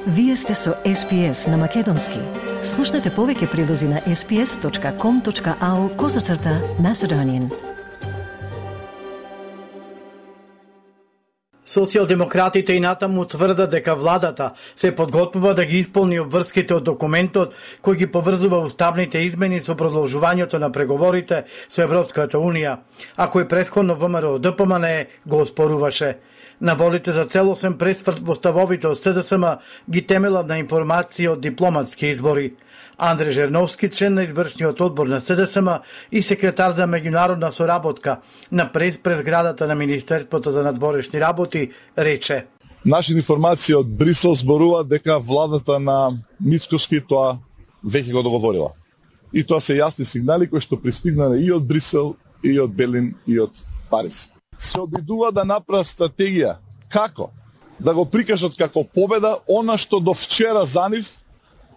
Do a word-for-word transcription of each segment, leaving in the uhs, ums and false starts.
Вие сте со Ес Пи Ес на Македонски. Слушнете повеќе прилози на ес пи ес точка ком точка ау козацрта Macedonian. Социјалдемократите и натаму тврдат дека владата се подготвува да ги исполни обврските од документот кој ги поврзува уставните измени со продолжувањето на преговорите со Европската Унија, а кој претходно ВМРО Д П М Н го оспоруваше. Наволите за целосен пресврт во ставовите од С Д С М ги темелат на информации од дипломатски избори. Андре Жерновски, член на извршниот одбор на С Д С М и секретар за меѓународна соработка на прес през зградата на Министерството за надворешни работи, рече: Наши информации од Брисел зборуваат дека владата на Мицкоски тоа веќе го договорила. И тоа се јасни сигнали кои што пристигнале и од Брисел, и од Берлин, и од Париз. Се обидува да направат стратегија како да го прикажат како победа она што до вчера за нив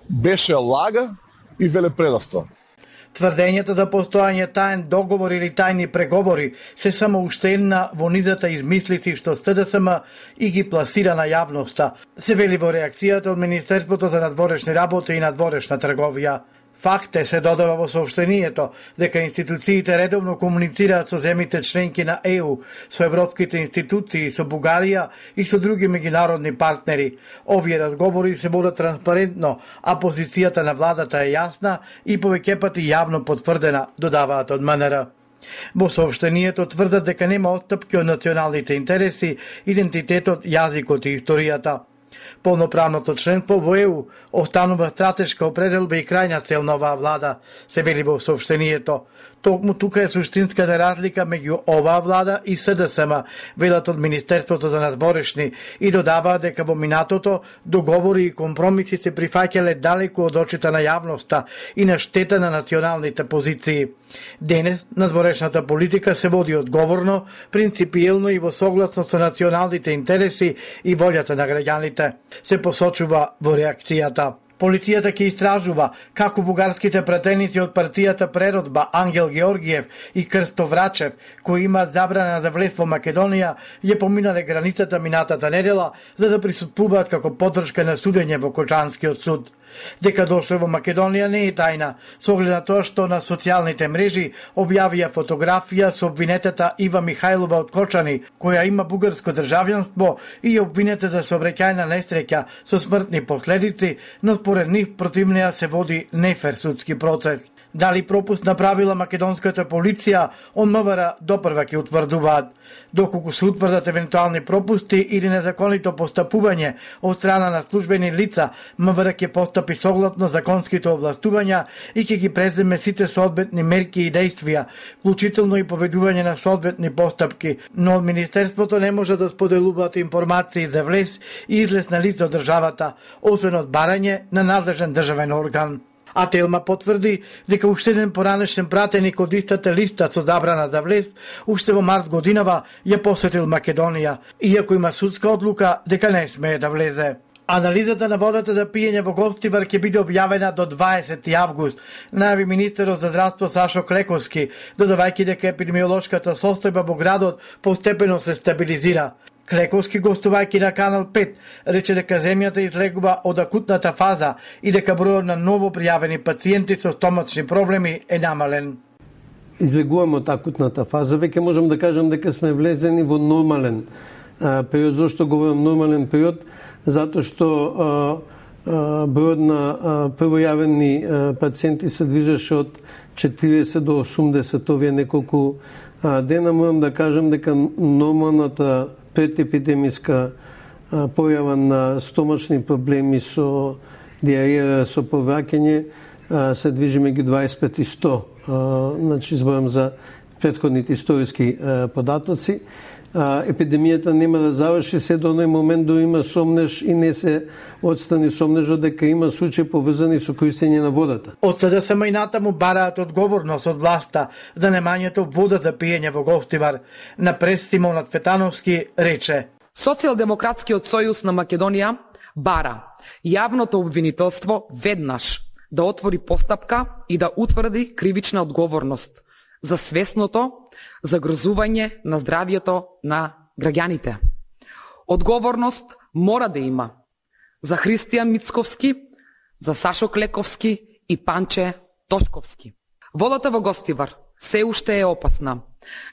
беше лага и велепредавство. Тврдењата за постојање таен договор или тајни преговори се само уште една во низата измислици што С Д С М и ги пласира на јавноста, се вели во реакцијата од Министерството за надворешни работи и надворешна трговија. Факт е, се додава во соопштението, дека институциите редовно комуницираат со земите членки на Е У, со европските институции, со Бугарија и со други меѓународни партнери. Овие разговори се водат транспарентно, а позицијата на владата е јасна и повеќе пати јавно потврдена, додаваат од М Н Р. Во соопштението тврдат дека нема отстапки од националните интереси, идентитетот, јазикот и историјата. Полноправното членство во Е У останува стратешка определба и крајна цел на оваа влада, се вели во соопштението. Токму тука е суштинската разлика меѓу оваа влада и С Д С М, велат од Министерството за надворешни, и додаваат дека во минатото договори и компромиси се прифаќале далеку од очите на јавноста и на штета на националните позиции. Денес надворешната политика се води одговорно, принципиелно и во согласност со националните интереси и волјата на граѓаните, се посочува во реакцијата. Полицијата ќе истражува како бугарските пратеници од партијата Преродба Ангел Георгиев и Крсто Врачев, кои имаат забрана за влез во Македонија, ја поминале границата минатата недела за да присуствуваат како поддршка на судење во Кочанскиот суд. Дека дошле во Македонија не е тајна, со оглед на тоа што на социјалните мрежи објавија фотографија со обвинетата Ива Михајлова од Кочани, која има бугарско државјанство и обвинета за сообраќајна несреќа со смртни последици, но според нив против неа се води нефер судски процес. Дали пропуст направила македонската полиција, од М В Р допрва ќе утврдуваат. Доколку се утврдат евентуални пропусти или незаконито постапување од страна на службени лица, М В Р ќе постапи согласно законските овластувања и ќе ги преземе сите соодветни мерки и действија, вклучително и поведување на соодветни постапки, но од Министерството не може да споделуваат информации за влез и излез на лица од државата, освен од барање на надлежен државен орган. А Телма потврди дека уште еден поранешен пратеник од истата листа со забрана за влез, уште во март годинава ја посетил Македонија, иако има судска одлука дека не смее да влезе. Анализата на водата за пиење во Гостивар ќе биде објавена до дваесети август, најави министерот за здравство Сашо Клековски, додавајќи дека епидемиолошката состојба во градот постепено се стабилизира. Клековски, гостувајќи на Канал пет, рече дека земјата излегува од акутната фаза и дека бројот на ново пријавени пациенти со стомачни проблеми е намален. Излегуваме од акутната фаза, веќе можам да кажам дека сме влезени во нормален а, период. Зошто говорам нормален период? Затоа што а, а, бројот на а, првојавени а, пациенти се движеше од четириесет до осумдесет овие неколку а, дена. Морам да кажам дека нормалната предепидемиска појава на стомачни проблеми со диареја, со повраќање се движи меѓу дваесет и пет и сто. Значи, зборам за претходните историски податоци. Епидемијата нема да заврши се до оној момент до има сомнеж и не се отстрани сомнежот дека има случаи поврзани со користење на водата. Од С Д С М и натаму бараат одговорност од власта за немањето вода за пиење во Гостивар. На прес Симона Цветановски рече: Социјалдемократскиот сојуз на Македонија бара јавното обвинителство веднаш да отвори постапка и да утврди кривична одговорност за свесното загрозување на здравјето на граѓаните. Одговорност мора да има за Христијан Мицковски, за Сашо Клековски и Панче Тошковски. Водата во Гостивар се уште е опасна.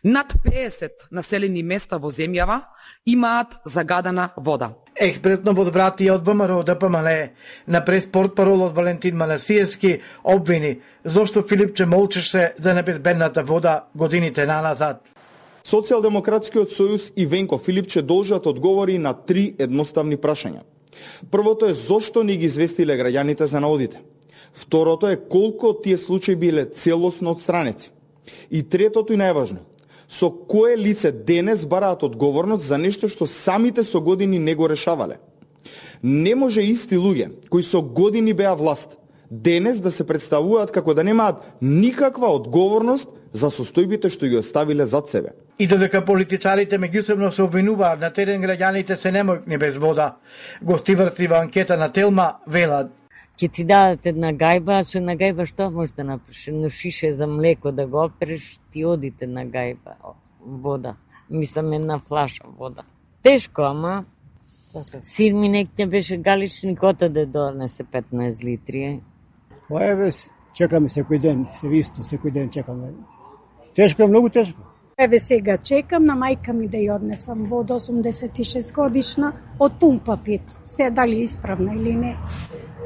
Над петдесет населени места во земјава имаат загадена вода. Експертно возвратие од ВМРО ДПМН на преспортпаролот Валентин Манасиевски обвини зошто Филипче молчеше за небезбедната вода годините наназад. Социјалдемократскиот сојуз и Венко Филипче должат одговори на три едноставни прашања. Првото е зошто не ги известиле граѓаните за наводите. Второто е колку од тие случаи биле целосно отстранети. И третото и најважно, со кое лице денес бараат одговорност за нешто што самите со години не го решавале. Не може исти луѓе кои со години беа власт денес да се представуваат како да немаат никаква одговорност за состојбите што ги оставиле зад себе. И додека политичарите меѓусебно се обвинуваат, на терен граѓаните се немојкни без вода. Гостиварци во анкета на Телма велат: ќе ти дадат една гајба, а со една гајба што можеш да направиш? Едно шише за млеко да го опереш, ти одите на гајба вода. Мислам една флаша вода. Тешко, ама сир ми некте беше галични, кота да донесе петнаесет литри. Па еве, чекаме секој ден, се висто, секој ден чекаме. Тешко е, многу тешко. Еве сега чекам на мајка ми да ја однесам вода, осумдесет и шест годишна, од пумпа пит. Се дали е исправна или не.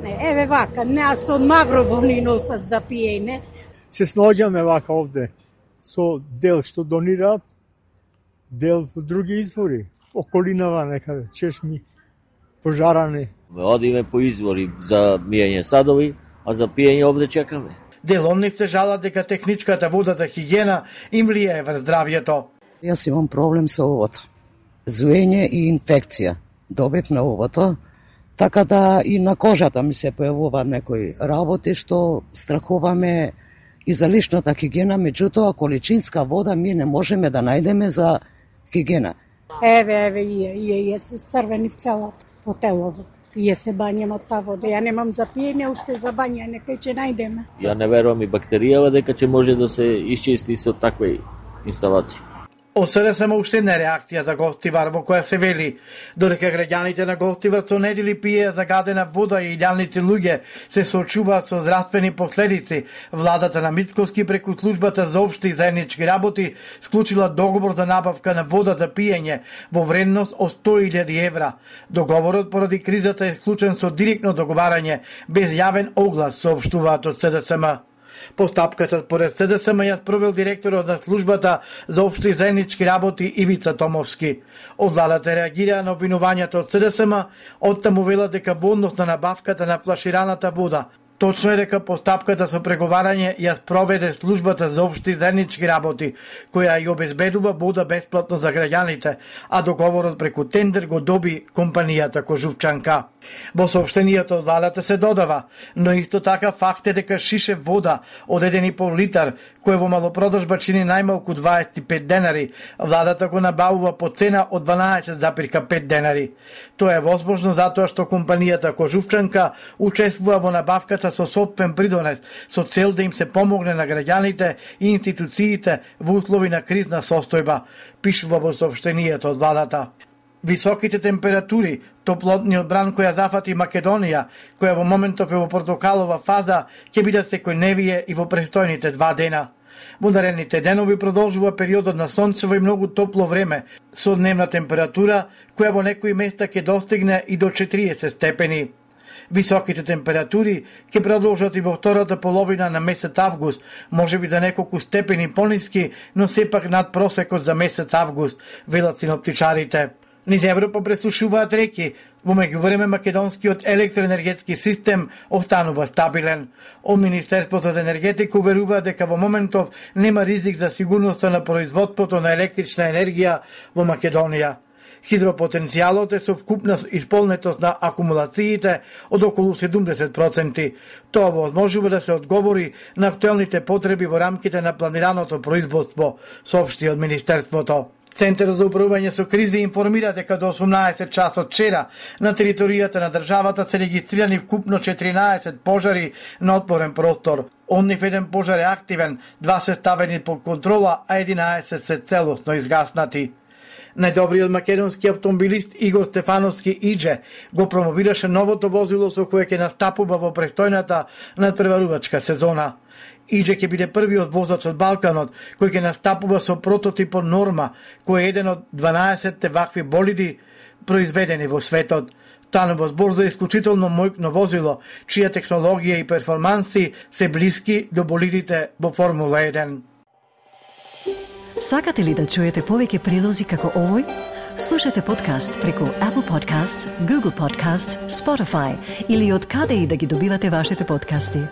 Не, еве вака, не, а со Маврово ни носат за пиење. Се снаоѓаме вака овде со дел што донираат, дел во други извори, околинава некаде, чешми, пожарани. Одиме по извори за мијање садови, а за пиење овде чекаме. Деломниците жалат дека техничката вода за хигиена им влијае врз здравјето. Јас имам проблем со овото. Зуење и инфекција. Добив на овото, така да и на кожата ми се појавуваат некои работи што страхуваме и за личната хигиена, меѓутоа количинска вода ми не можеме да најдеме за хигиена. Еве, еве, ие, ие, ие се црвени в целото по телото. Ие се бањам од таа вода. Ја немам за пиење, уште за бањање, кај ќе најдеме. Ја не верувам и бактеријава дека ќе може да се исчисти со такви инсталации. ОСРСМ уште една реакција за Гостивар во која се вели додека граѓаните на Гостивар со недели пие загадена вода и илјадници луѓе се соочуваат со здравствени последици, владата на Мицковски преку службата за општи и заеднички работи склучила договор за набавка на вода за пиење во вредност од сто илјади евра. Договорот поради кризата е склучен со директно договарање без јавен оглас, соопштуваат од СДСМ. Постапката според СДСМ ја спровел директорот на службата за општи заеднички работи Ивица Томовски. Од владата реагираа на обвинувањата од СДСМ, оттаму велат дека во однос на набавката на флашираната вода точно е дека постапката со преговарање ја спроведе службата за општи заеднички работи, која ја обезбедува вода бесплатно за граѓаните, а договорот преку тендер го доби компанијата Кожувчанка. Во соопштенијето од владата се додава, но исто така факт е дека шише вода од еден и пол литар, кој во малопродажба чини најмалку дваесет и пет денари, владата го набавува по цена од дванаесет запирка пет денари. Тоа е возможно затоа што компанијата Кожувчанка учествува во набавката со сопствен придонес, со цел да им се помогне на граѓаните и институциите во услови на кризна состојба, пишува во соопштенијето од владата. Високите температури, топлотниот бран која зафати Македонија, која во моментов е во портокалова фаза, ќе бидат секојдневие и во престојните два дена. Во наредните денови продолжува периодот на сончево и многу топло време, со дневна температура која во некои места ќе достигне и до четириесет степени. Високите температури ќе продолжат и во втората половина на месец август, можеби за неколку степени пониски, но сепак над просекот за месец август, велат синоптичарите. Низ Европа пресушуваат реки, во меѓувреме македонскиот електроенергетски систем останува стабилен. Од Министерството за енергетика уверува дека во моментов нема ризик за сигурноста на производството на електрична енергија во Македонија. Хидропотенцијалот е со вкупна исполнетост на акумулациите од околу седумдесет проценти. Тоа возможува да се одговори на актуелните потреби во рамките на планираното производство, соопшти од Министерството. Центарот за управување со кризи информира дека до осумнаесет часот вчера на територијата на државата се регистрирани вкупно четиринаесет пожари на отворен простор. Од нив еден пожар е активен, два се ставени под контрола, а единаесет се целосно изгаснати. Најдобриот македонски автомобилист Игор Стефановски Идже го промовираше новото возило со кое ќе настапува во престојната надпреварувачка сезона. Идже ќе биде првиот возач од Балканот кој ќе настапува со прототипот Норма, кој е еден од дванаесетте вакви болиди произведени во светот. Станува збор за исклучително мојкно возило, чија технологија и перформанси се блиски до болидите во Формула еден. Сакате ли да чуете повеќе прилози како овој? Слушате подкаст преку Apple Podcasts, Google Podcasts, Spotify или од каде и да ги добивате вашите подкасти.